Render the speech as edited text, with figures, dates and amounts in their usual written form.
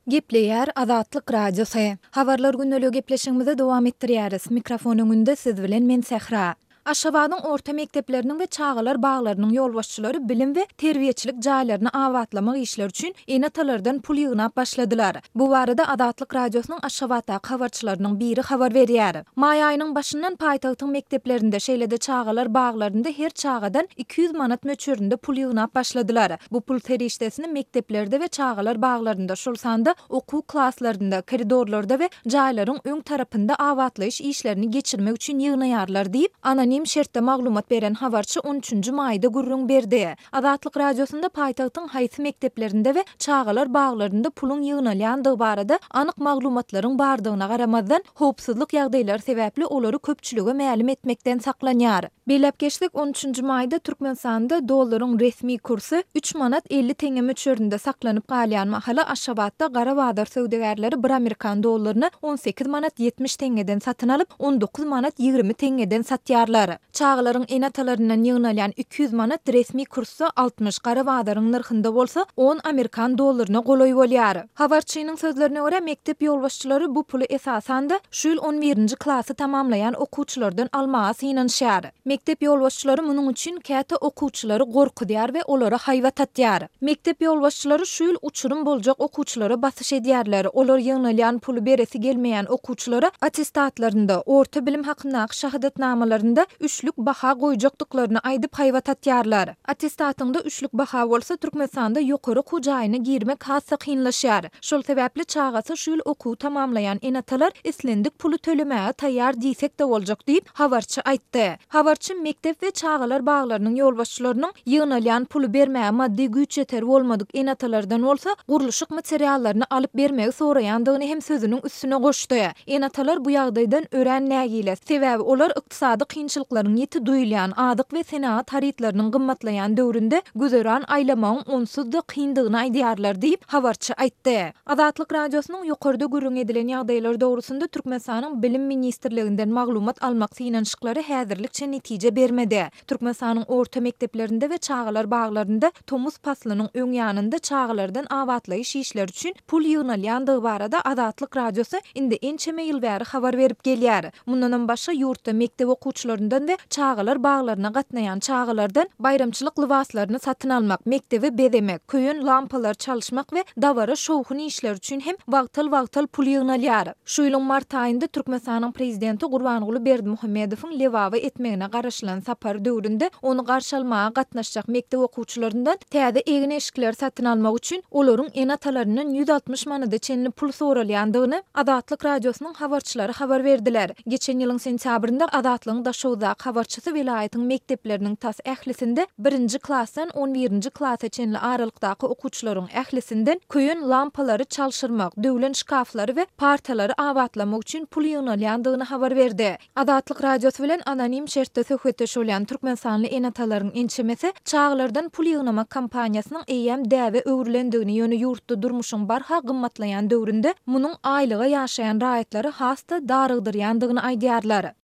Gepleýär Azatlyk Radiosy. Habarlar gündeligi gepleşigimizi dowam etdirýäris. Mikrofon öňünde siz bilen men Sähra. Aşgabadyň orta mekdepleriniň we çagalar baglarynyň ýolbaşçylary bilim we terbiýeçilik jaýlaryny abatlamak işleri üçin ene-atalardan pul ýygnap başladylar. Bu barada Azatlyk Radiosynyň Aşgabatdaky habarçylarynyň biri habar berýär. Maý aýynyň başyndan paýtagtyň mekdeplerinde, şeýle-de çagalar baglarynda her çagadan 200 manat möçberinde pul ýygnap başladylar. Bu pul serişdesini mekdeplerde we çagalar baglarynda, şol sanda okuw klaslarynda, koridorlarda we jaýlaryň öň tarapynda abatlaýyş işlerini geçirmek üçin ýygnaýarlar diýip, anonim şertde maglumat beren habarçy on üçünji maýda gürrüň berdi. Azatlyk Radiosynda paýtagtyň haýsy mekdeplerinde we çagalar baglarynda puluň ýygnalýandygy barada anyk maglumatlaryň bardygyna garamazdan, howpsuzlyk ýagdaýlary sebäpli olary köpçülige mälim etmekden saklanýar. Belläp geçsek, on üçünji maýda Türkmenistanda dollaryň resmi kursy üç manat 50 teňňe möçberinde saklanyp galýan mahaly Aşgabatda gara bazar söwdagärleri bir amerikan dollaryny 18 manat 70 teňňeden satyn alyp, 19 manat 20 teňňeden satýarlar. Çagalaryň ene-atalaryndan ýygnalýan 200 manat resmi kursda 60, gara bazaryň nyrhynda bolsa on amerikan dollaryna golaý bolýar. Habarçynyň sözlerine görä, mekdep ýolbaşçylary bu puly esasan-da, şu ýyl on birinji klasy tamamlaýan okuwçylardan almaga synanyşýar. Mekdep ýolbaşçylary munuň üçin käte okuwçylary gorkuzýar we olara haýbat atýar. Mekdep ýolbaşçylary şu ýyl uçurym boljak okuwçylara basyş edýärler. Olar ýygnalýan puly beresi gelmeýän okuwçylara attestatlarynda, orta bilim hakyndaky şahadatnamalarynda üçlük baha goýjakdyklaryny aýdyp haýbat atýarlar. Attestatyňda üçlük baha bolsa, Türkmenistanda ýokary okuw jaýyna girmek has-da kynlaşýar. Şol sebäpli çagasy şu ýyl okuwy tamamlaýan ene-atalar islendik puly tölemäge taýýar diýsek-de boljak diýip, habarçy aýtdy. Habarçy mekdep we çagalar baglarynyň ýolbaşçylarynyň ýygnalýan puly bermäge maddy güýç-ýeteri bolmadyk ene-atalardan bolsa gurluşyk materiallaryny alyp bermegi soraýandygyny hem sözüniň üstüne goşdy. Ene-atalar bu ýagdaýdan örän nägile, sebäbi olar ykdysady kynçylyklaryň ýiti duýulýan, azyk we senagat harytlarynyň gymmatlaýan döwründe güzeran aýlamagyň onsuz-da kyndygyny aýdýarlar diýip, habarçy aýtdy. Azatlyk Radiosynyň ýokarda gürrüň edilen ýagdaýlar dogrusynda Türkmenistanyň Bilim ministrliginden maglumat almak synanyşyklary häzirlikçe netije bermedi. Türkmenistanyň orta mekdeplerinde we çagalar baglarynda tomus paslynyň öň ýanynda çagalardan abatlaýyş işleri üçin pul ýygnalýandygy barada Azatlyk Radiosy indi ençeme ýyl bäri habar berip gelýär. Mundanam başga ýurtda mekdep okuwçylaryndan we çagalar baglaryna gatnaýan çagalardan baýramçylyk lybaslaryny satyn almak, mekdebi bezemek, köýen lampalary çalyşmak we dabara şowhun işleri üçin hem wagtal-wagtal pul ýygnalýar. Şu ýylyň mart aýynda Türkmenistanyň Prezidenti Gurbanguly Berdimuhamedowyň Lebaba etmegine garaşylan sapary döwründe ony garşy almaga gatnaşjak mekdep okuwçylaryndan täze egin-eşikleri satyn almak üçin olaryň ene-atalaryndan 160 manada çenli pul soralýandygyny Azatlyk Radiosynyň habarçylary habar berdiler. Geçen ýylyň sentýabrynda Azatlygyň Daşoguzdaky habarçysy welaýatyň mekdepleriniň tas ählisinde birinji klasdan on birinji klasa çenli aralykdaky okuwçylaryň ählisinden köýen lampalary çalşyrmak, döwlen şkaflary we partalary abatlamak üçin pul ýygnalýandygyny habar berdi. Azatlyk Radiosy bilen anonim şertde söhbetdeş bolýan türkmenistanly ene-atalaryň ençemesi çagalardan pul ýygnamak kampaniýasynyň eýýäm däbe öwrülendigini, ýöne ýurtda durmuşyň barha gymmatlaýan döwründe munuň aýlyga ýaşaýan raýatlary has-da darygdyrýandygyny aýdýarlar.